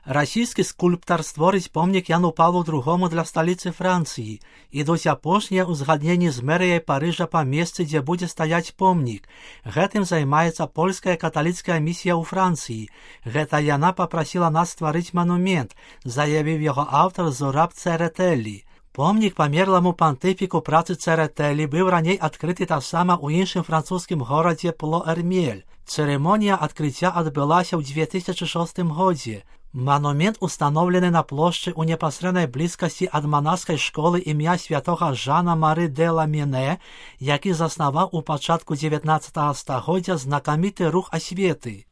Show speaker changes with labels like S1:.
S1: Расійскі скульптар створыць помнік Яну Павлу II для сталіцы Францыі. Ідуць апошнія ўзгадненні з мэрыяй Парыжа па месцы, дзе будзе стаяць помнік. Гэтым займаецца польская каталіцкая місія ў Францыі. Гэта яна папрасіла нас стварыць манумент, заявіў яго аўтар Зураб Церетэлі. Помнік памерламу пантыфіку працы Церетэлі быў раней адкрыты таксама ў іншым французскім горадзе Плоэрмель. Цырымонія адкрыцця адбылася ў 2006 годзе. Манумент установлены на плошчы ў непасрэднай блізкасці ад манаскай школы імя святога Жана Мары де Ламене, які заснаваў у пачатку 19 стагоддзя знакаміты рух асветы.